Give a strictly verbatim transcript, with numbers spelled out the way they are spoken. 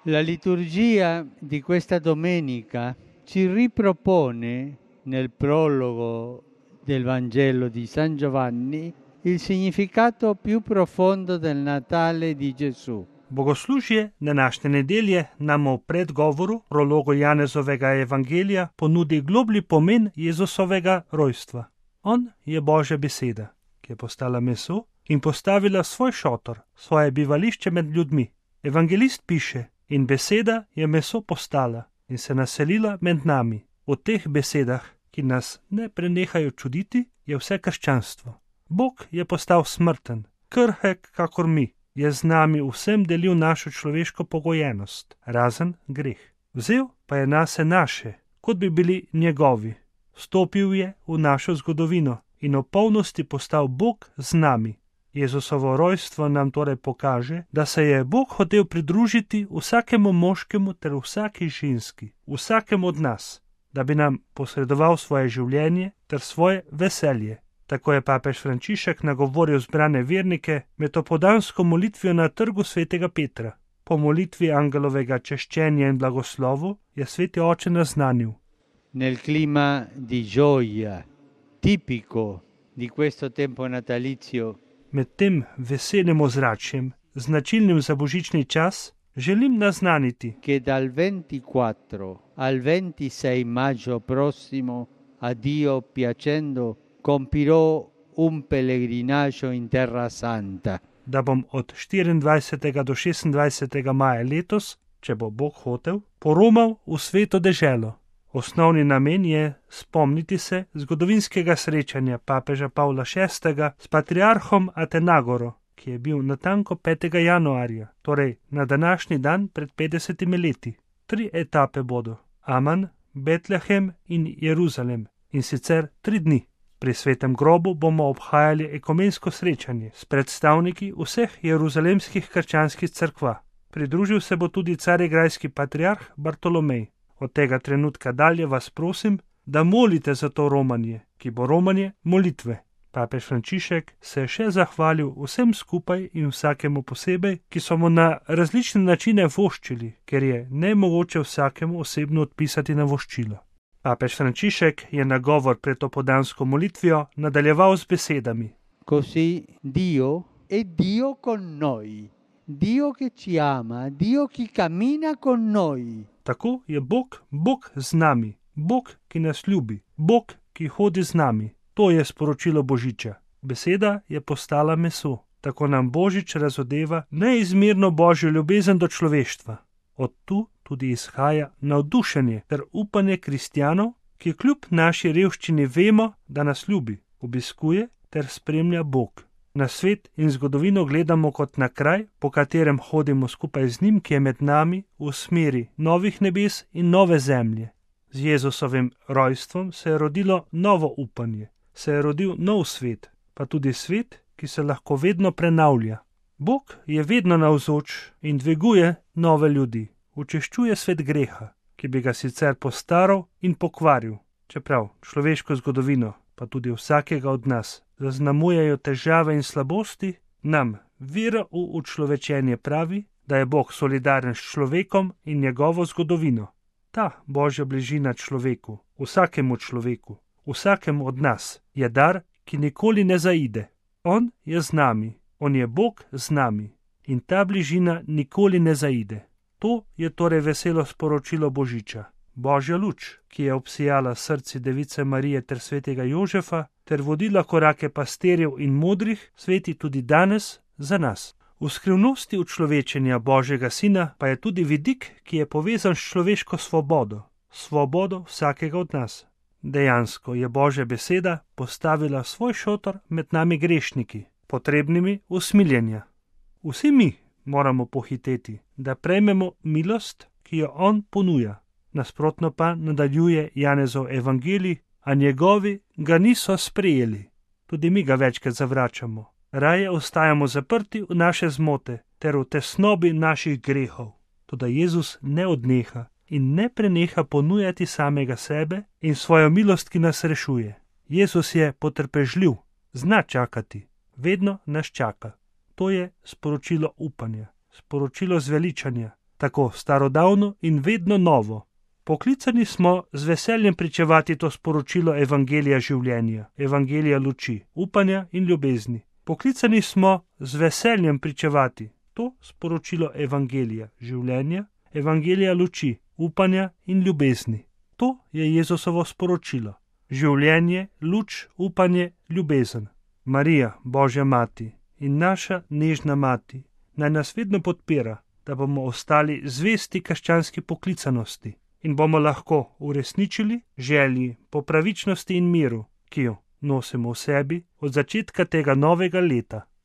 La liturgia di questa domenica ci ripropone nel prologo del Vangelo di San Giovanni il significato più profondo del Natale di Gesù. Bogoslužje današnje nedelje nam v predgovoru prologu Janezovega evangelija ponudi globlji pomen Jezusovega rojstva. On je Božja beseda, ki je postala meso in postavila svoj šotor, svoje bivališče med ljudmi. Evangelist piše: in beseda je meso postala in se naselila med nami. V teh besedah, ki nas ne prenehajo čuditi, je vse krščanstvo. Bog je postal smrten, krhek kakor mi, je z nami vsem delil našo človeško pogojenost, razen greh. Vzel pa je nase naše, kot bi bili njegovi. Vstopil je v našo zgodovino in v polnosti postal Bog z nami. Jezusovo rojstvo nam torej pokaže, da se je Bog hotel pridružiti vsakemu moškemu ter vsaki ženski, vsakemu od nas, da bi nam posredoval svoje življenje ter svoje veselje. Tako je papež Frančišek nagovoril zbrane vernike med opoldansko molitvijo na trgu svetega Petra. Po molitvi angelovega češčenja in blagoslovu je sveti oče naznanil: Nel clima di gioia, tipico di questo tempo natalizio, med tem veselim ozračjem, značilnim za božični čas, želim naznaniti, che dal ventiquattro al ventisei maggio prossimo, a Dio piacendo, compirò un pellegrinaggio in Terra Santa. da bom od štiriindvajsetega do šestindvajsetega maja letos, če bo Bog hotel, poromal v sveto deželo. Osnovni namen je spomniti se zgodovinskega srečanja papeža Pavla šestega s patriarhom Atenagoro, ki je bil natanko petega januarja, torej na današnji dan pred petdesetimi leti. Tri etape bodo: Aman, Betlehem in Jeruzalem, in sicer tri dni. Pri svetem grobu bomo obhajali ekumensko srečanje s predstavniki vseh jeruzalemskih krščanskih cerkva. Pridružil se bo tudi carigrajski patriarh Bartolomej. Od tega trenutka dalje vas prosim, da molite za to romanje, ki bo romanje molitve. Papež Frančišek se je še zahvalil vsem skupaj in vsakemu posebej, ki so mu na različne načine voščili, ker je nemogoče vsakemu osebno odpisati na voščilo. Papež Frančišek je nagovor pred opoldansko molitvijo nadaljeval z besedami: Così Dio è Dio con noi, Dio che ci ama, Dio che cammina con noi. Tako je Bog, Bog z nami, Bog, ki nas ljubi, Bog, ki hodi z nami. To je sporočilo Božiča. Beseda je postala meso. Tako nam Božič razodeva neizmerno božjo ljubezen do človeštva. Od tu tudi izhaja navdušenje ter upanje kristjanov, ki kljub naši revščini vemo, da nas ljubi, obiskuje ter spremlja Bog. Na svet in zgodovino gledamo kot na kraj, po katerem hodimo skupaj z njim, ki je med nami v smeri novih nebes in nove zemlje. Z Jezusovim rojstvom se je rodilo novo upanje, se je rodil nov svet, pa tudi svet, ki se lahko vedno prenavlja. Bog je vedno navzoč in dviguje nove ljudi. Učeščuje svet greha, ki bi ga sicer postaral in pokvaril, čeprav človeško zgodovino, pa tudi vsakega od nas, zaznamujejo težave in slabosti, nam vera v učlovečenje pravi, da je Bog solidaren s človekom in njegovo zgodovino. Ta božja bližina človeku, vsakemu človeku, vsakemu od nas, je dar, ki nikoli ne zaide. On je z nami, on je Bog z nami in ta bližina nikoli ne zaide. To je torej veselo sporočilo Božiča. Božja luč, ki je obsijala srci device Marije ter svetega Jožefa, ter vodila korake pastirjev in modrih, sveti tudi danes za nas. V skrivnosti učlovečenja Božjega sina pa je tudi vidik, ki je povezan s človeško svobodo, svobodo vsakega od nas. Dejansko je Božja beseda postavila svoj šotor med nami grešniki, potrebnimi usmiljenja. Vsi mi moramo pohiteti, da prejmemo milost, ki jo on ponuja. Nasprotno pa nadaljuje Janezov evangelij, a njegovi ga niso sprejeli. Tudi mi ga večkrat zavračamo. Raje ostajamo zaprti v naše zmote ter v tesnobi naših grehov. Toda Jezus ne odneha in ne preneha ponujati samega sebe in svojo milost, ki nas rešuje. Jezus je potrpežljiv, zna čakati, vedno nas čaka. To je sporočilo upanja, sporočilo zveličanja, tako starodavno in vedno novo. Poklicani smo z veseljem pričevati to sporočilo evangelija življenja, evangelija luči, upanja in ljubezni. Poklicani smo z veseljem pričevati to sporočilo evangelija življenja, evangelija luči, upanja in ljubezni. To je Jezusovo sporočilo. Življenje, luč, upanje, ljubezen. Marija, Božja mati in naša nežna mati, naj nas vedno podpira, da bomo ostali zvesti krščanski poklicanosti in bomo lahko uresničili želji po pravičnosti in miru, ki jo nosimo v sebi od začetka tega novega leta.